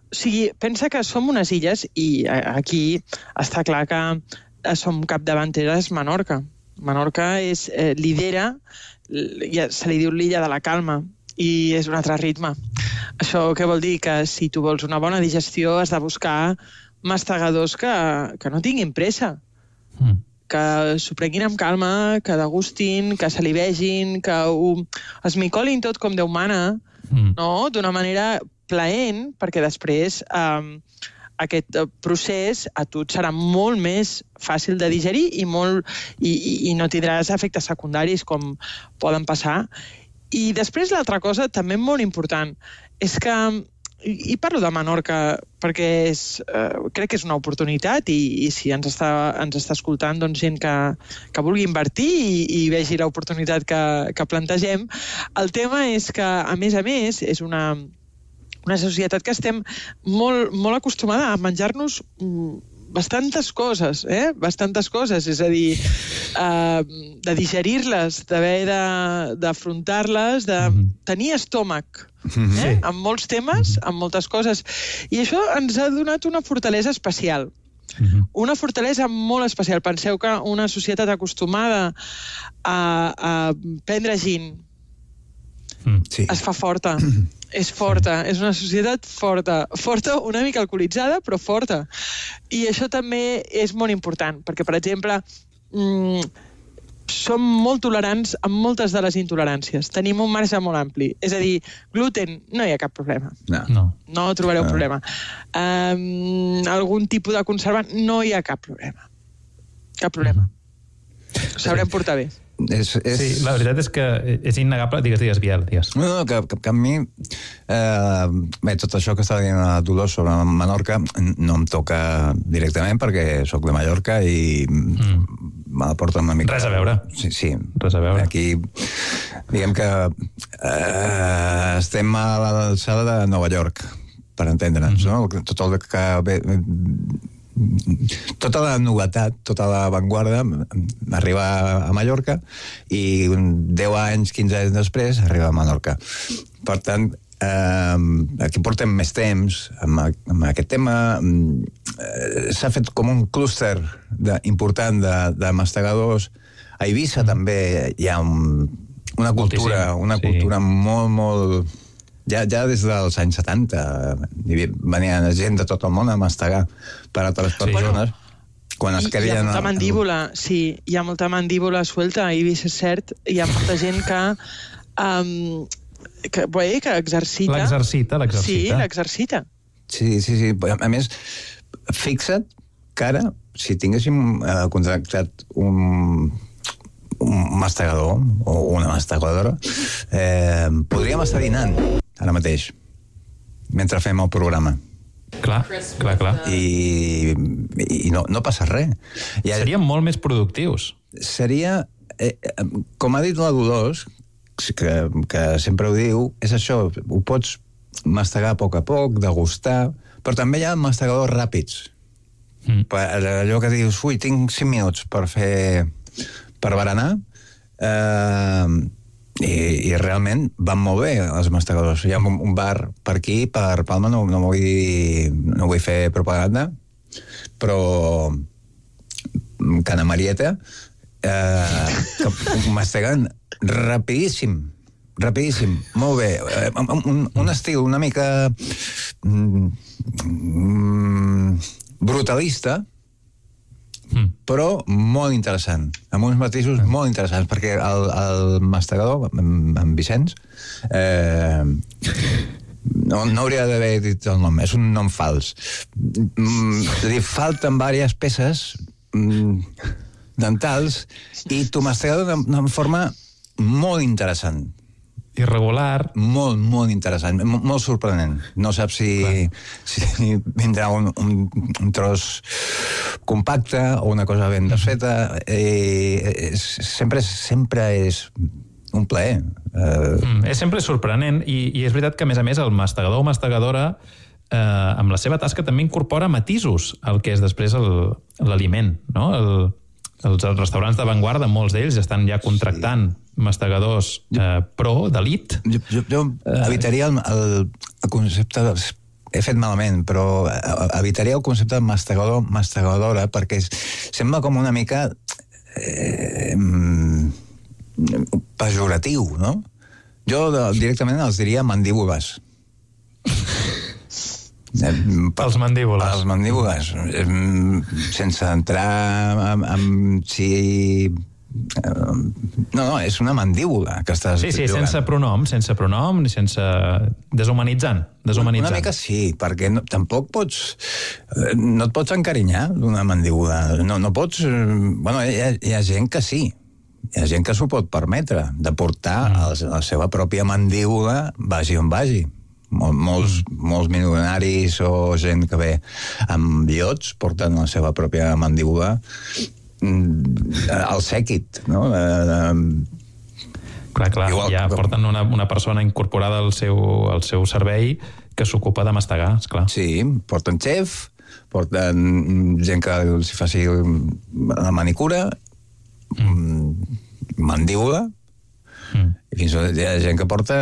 O sigui, pensa que som unes illes i aquí està clar que som capdavanteres Menorca. Menorca lidera, se li diu l'illa de la calma, i és un altre ritme. Això què vol dir? Que si tu vols una bona digestió has de buscar mastegadors que no tinguin pressa, que s'ho prenguin amb calma, que degustin, que se li vegin, que ho esmicolin tot com Déu mana, no? D'una manera plaent, perquè després aquest procés a tu et serà molt més fàcil de digerir i no tindràs efectes secundaris com poden passar. I després l'altra cosa, també molt important, és que, i parlo de Menorca perquè crec que és una oportunitat i si ens està escoltant doncs, gent que vulgui invertir i vegi l'oportunitat que plantegem, el tema és que, a més, és una societat que estem molt acostumada a menjar-nos bastantes coses, és a dir, de digerir-les, d'haver d'afrontar-les, de tenir estómac, amb molts temes, amb moltes coses. I això ens ha donat una fortalesa especial. Una fortalesa molt especial. Penseu que una societat acostumada a prendre gin es fa forta. És forta, és una societat forta, una mica alcoholitzada, però forta. I això també és molt important, perquè, per exemple, som molt tolerants amb moltes de les intoleràncies. Tenim un marge molt ampli. És a dir, gluten, no hi ha cap problema. No trobareu problema. Algun tipus de conservant, no hi ha cap problema. Cap problema. Ho sabrem portar bé. Sí, la veritat és que és innegable. Digues, Biel, digues. No, que a mi tot això que està dient a Dolors sobre Menorca no em toca directament perquè sóc de Mallorca i me la porta una mica... Res a veure. Sí. Res a veure. Aquí, diguem que estem a l'alçada de Nova York, per entendre'ns, no? Tot el que... Tota la novetat, tota l'avantguarda arriba a Mallorca i 10 anys, 15 anys després arriba a Menorca. Per tant, aquí portem més temps amb aquest tema. S'ha fet com un clúster important de mastegadors. A Eivissa també hi ha una cultura molt... Ja des dels anys 70 venien gent de tot el món a mastegar per altres persones. Quan es creien... Hi ha molta mandíbula, hi ha molta mandíbula suelta, a Eivissa és cert, hi ha molta gent que exercita. L'exercita. Sí, l'exercita. Sí. A més, fixa't que ara, si tinguéssim contractat un mastegador o una mastegadora, podríem estar dinant ara mateix, mentre fem el programa. Clar. I no passa res. Seríem molt més productius. Seria, com ha dit la Dolors, que sempre ho diu, és això, ho pots mastegar a poc, degustar, però també hi ha mastegadors ràpids. Allò que dius, tinc 5 minuts per berenar, I realment van molt bé els mastegadors. Hi ha un bar per aquí, per Palma, no vull fer propaganda, però Cana Marieta, que masteguen rapidíssim, molt bé. Un estil una mica brutalista, però molt interessant, amb uns matisos molt interessants, perquè el mastegador, en Vicenç, no hauria d'haver dit el nom, és un nom fals. És a dir, falten diverses peces dentals i tu mastegador d'una forma molt interessant. Irregular. Molt interessant, molt sorprenent. No saps si vindrà un tros compacte o una cosa ben desfeta. Sempre és un plaer. És sempre sorprenent i és veritat que, a més, el mastegador o mastegadora amb la seva tasca també incorpora matisos al que és després l'aliment, no? Els restaurants d'avantguarda, molts d'ells estan ja contractant mastegadors pro, d'elit. Jo evitaria el concepte, he fet malament, però evitaria el concepte de mastegador, mastegadora, perquè sembla com una mica pejoratiu, no? Jo directament els diria mandíbules. Pels mandíbules. Pels mandíbules. Sense entrar en si... No, és una mandíbula que estàs jugant. Sí, sense pronom, ni sense... Deshumanitzant. Una mica sí, perquè tampoc pots... No et pots encarinyar d'una mandíbula. No pots... Bueno, hi ha gent que sí. Hi ha gent que s'ho pot permetre, de portar la seva pròpia mandíbula vagi on vagi. Molts milionaris o gent que ve amb iots porten la seva pròpia mandíbula al sèquit, no? Clar, ja porten una persona incorporada al seu servei que s'ocupa de mastegar, esclar. Sí, porten xef, porten gent que els faci la manicura, mandíbula, i fins i tot hi ha gent que porta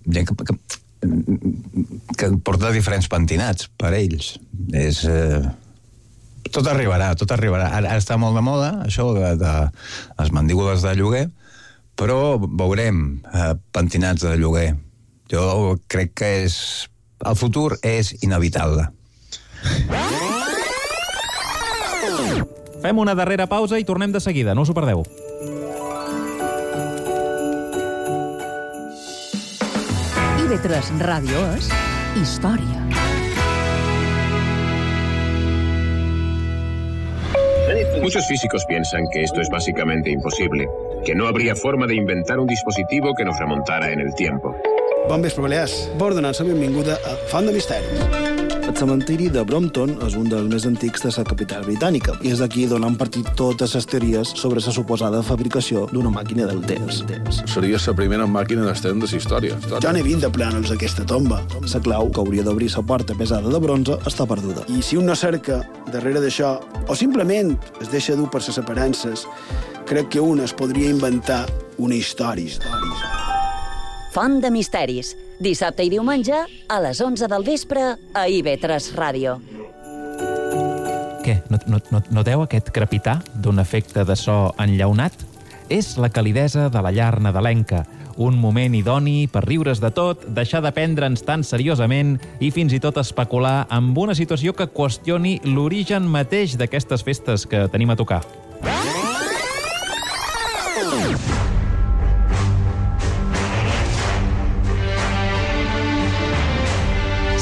gent que porta diferents pentinats per ells. Tot arribarà. Ara està molt de moda això de les mandíbules de lloguer, però veurem pentinats de lloguer. Jo crec que el futur és inevitable. Fem una darrera pausa i tornem de seguida, no us ho perdeu. IB3 Ràdio és història. Muchos físicos piensan que esto es básicamente imposible, que no habría forma de inventar un dispositivo que nos remontara en el tiempo. Bon vespre, Balears. Vol donar-se benvinguda a Font de Misteris. El cementiri de Brompton és un dels més antics de la capital britànica i és d'aquí d'on han partit totes les teories sobre la suposada fabricació d'una màquina del temps. Seria la primera màquina del temps de la història. Ja n'he 20 de plànols d'aquesta tomba. La clau que hauria d'obrir la porta pesada de bronze està perduda. I si un no cerca darrere d'això, o simplement es deixa dur per les aparences, crec que un es podria inventar una història. Font de Misteris, dissabte i diumenge a les 11 del vespre a IB3 Ràdio. Què? Noteu aquest crepitar d'un efecte de so enllaunat? És la calidesa de la llar nadalenca, un moment idoni per riure's de tot, deixar de prendre'ns tan seriosament i fins i tot especular amb una situació que qüestioni l'origen mateix d'aquestes festes que tenim a tocar.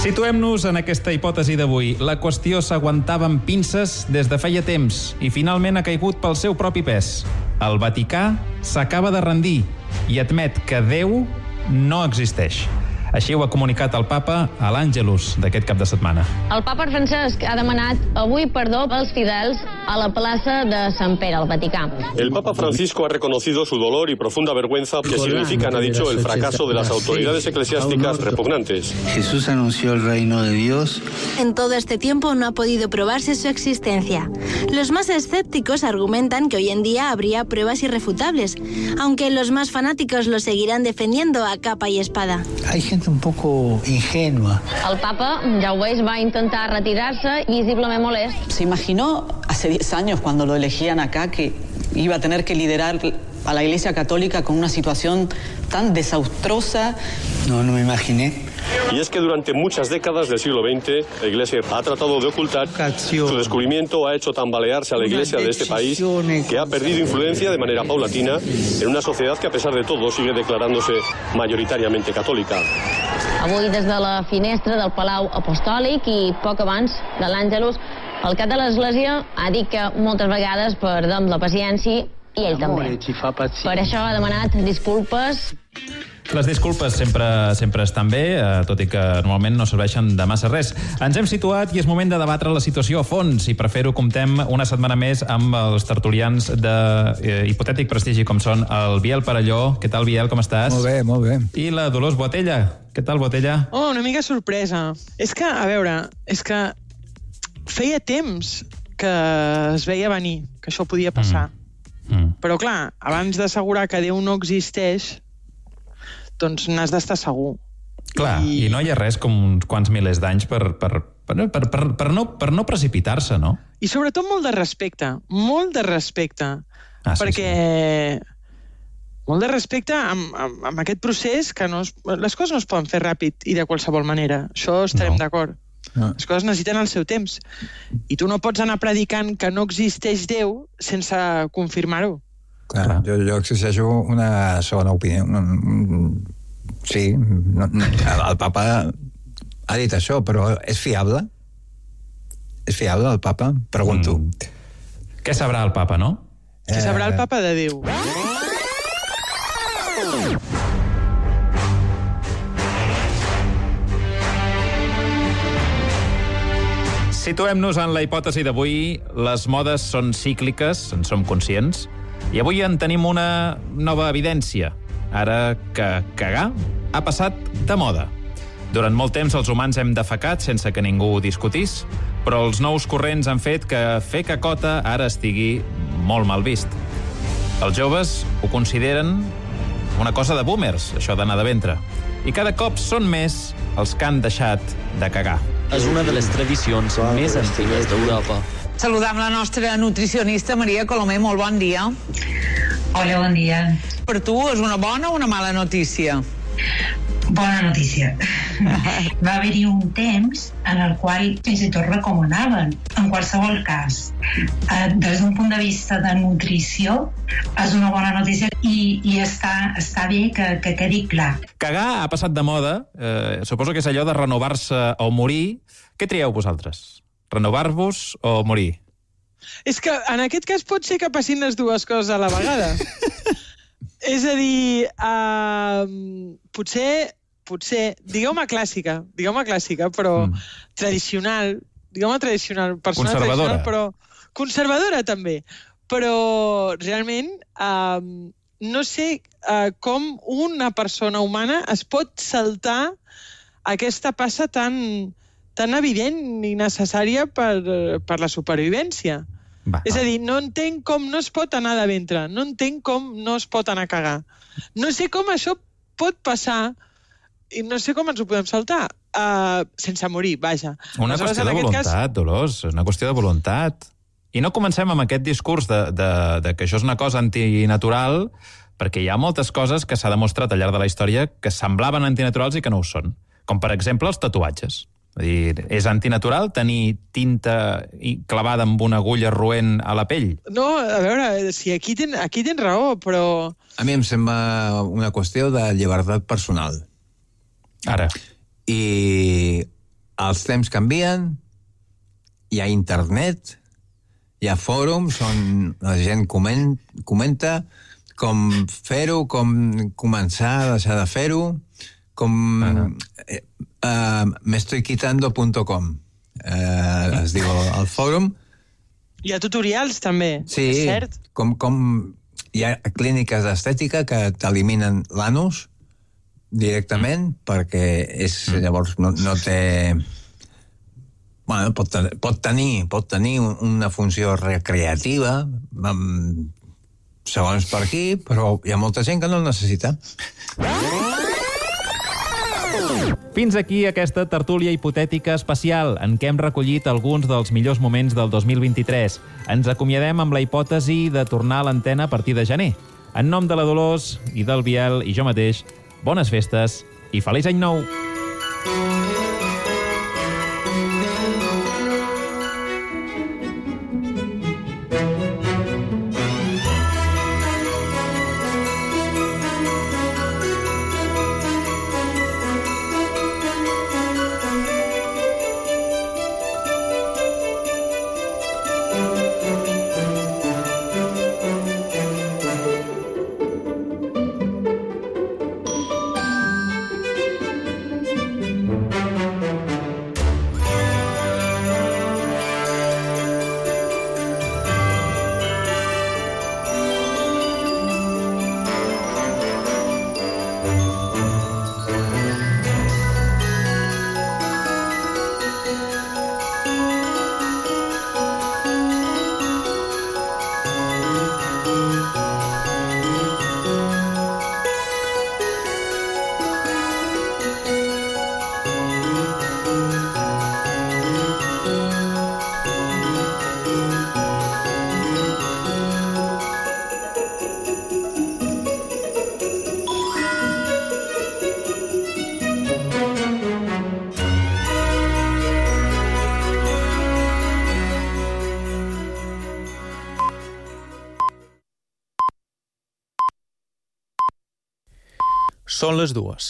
Situem-nos en aquesta hipòtesi d'avui. La qüestió s'aguantava amb pinces des de feia temps i finalment ha caigut pel seu propi pes. El Vaticà s'acaba de rendir i admet que Déu no existeix. Així ho ha comunicat el papa a l'Àngelus d'aquest cap de setmana. El papa Francesc ha demanat avui perdó als fidels a la plaça de Sant Pere, al Vaticà. El Papa Francisco ha reconocido su dolor y profunda vergüenza que significan, ha dicho, el fracaso de las autoridades eclesiásticas repugnantes. Jesús anunció el reino de Dios. En todo este tiempo no ha podido probarse su existencia. Los más escépticos argumentan que hoy en día habría pruebas irrefutables, aunque los más fanáticos lo seguirán defendiendo a capa y espada. Hay gente un poco ingenua. El papa, ja ho veus, va intentar retirarse visiblement molest. ¿Se imaginó hace 10 años cuando lo elegían acá que iba a tener que liderar a la Iglesia Católica con una situación tan desastrosa? No me imaginé. Y es que durante muchas décadas del siglo XX la Iglesia ha tratado de ocultar. Su descubrimiento ha hecho tambalearse a la Iglesia de este país, que ha perdido influencia de manera paulatina en una sociedad que a pesar de todo sigue declarándose mayoritariamente católica. Avui des de la finestra del Palau Apostòlic i poc abans de l'Àngelus, el cap de l'Església ha dit que moltes vegades perdem la paciència i ell també. Per això ha demanat disculpes. Les disculpes sempre estan bé, tot i que normalment no serveixen de massa res. Ens hem situat i és moment de debatre la situació a fons, i per fer-ho comptem una setmana més amb els tertulians d'hipotètic prestigi com són el Biel Parelló. Què tal, Biel, com estàs? Molt bé, molt bé. I la Dolors Boatella. Què tal, Boatella? Oh, una mica sorpresa. És que, a veure, feia temps que es veia venir, que això podia passar. Però, clar, abans d'assegurar que Déu no existeix, doncs n'has d'estar segur. Clar, i no hi ha res com uns quants milers d'anys per no precipitar-se, no? I sobretot molt de respecte, perquè molt de respecte amb aquest procés, que les coses no es poden fer ràpid i de qualsevol manera. Això estarem d'acord. Les coses necessiten el seu temps. I tu no pots anar predicant que no existeix Déu sense confirmar-ho. Clar, jo exigeixo una segona opinió. Sí, el papa ha dit això, però és fiable? És fiable el papa? Pregunto. Què sabrà el papa, no? Què sabrà el papa de Déu? Situem-nos en la hipòtesi d'avui. Les modes són cícliques, en som conscients, i avui en tenim una nova evidència. Ara que cagar ha passat de moda. Durant molt temps els humans hem defecat sense que ningú ho discutís, però els nous corrents han fet que fer cacota ara estigui molt mal vist. Els joves ho consideren una cosa de boomers, això d'anar de ventre. I cada cop són més els que han deixat de cagar. És una de les tradicions més antigues d'Europa. Saludam la nostra nutricionista Maria Colomer, molt bon dia. Hola, bon dia. Per tu és una bona o una mala notícia? Bona notícia. Va haver-hi un temps en el qual fins i tot recomanaven. En qualsevol cas, des d'un punt de vista de nutrició, és una bona notícia i està bé que quedi clar. Cagar ha passat de moda. Suposo que és allò de renovar-se o morir. Què trieu vosaltres? Renovar-vos o morir? És que en aquest cas pot ser que passin les dues coses a la vegada. És a dir, potser, digueu-me clàssica, però tradicional, personal conservadora. Tradicional, però conservadora també. Però realment no sé com una persona humana es pot saltar aquesta passa tan evident i necessària per la supervivència. És a dir, no entenc com no es pot anar de ventre, no entenc com no es pot anar a cagar. No sé com això pot passar i no sé com ens ho podem saltar sense morir, vaja. Una qüestió de voluntat, Dolors, és una qüestió de voluntat. I no comencem amb aquest discurs de que això és una cosa antinatural, perquè hi ha moltes coses que s'ha demostrat al llarg de la història que semblaven antinaturals i que no ho són. Com, per exemple, els tatuatges. És antinatural tenir tinta clavada amb una agulla roent a la pell? No, a veure, si aquí tens raó, però... A mi em sembla una qüestió de llibertat personal. Ara. I els temps canvien, hi ha internet, hi ha fòrums on la gent comenta com fer-ho, com començar a deixar de fer-ho, meestoyquitando.com es diu el fòrum. Hi ha tutorials, també, sí, és cert? Com hi ha clíniques d'estètica que t'eliminen l'anus directament, perquè llavors no té... Bueno, pot tenir una funció recreativa, segons per aquí, però hi ha molta gent que no el necessita. Fins aquí aquesta tertúlia hipotètica especial en què hem recollit alguns dels millors moments del 2023. Ens acomiadem amb la hipòtesi de tornar a l'antena a partir de gener. En nom de la Dolors i del Biel i jo mateix, bones festes i feliç any nou! Són les 2.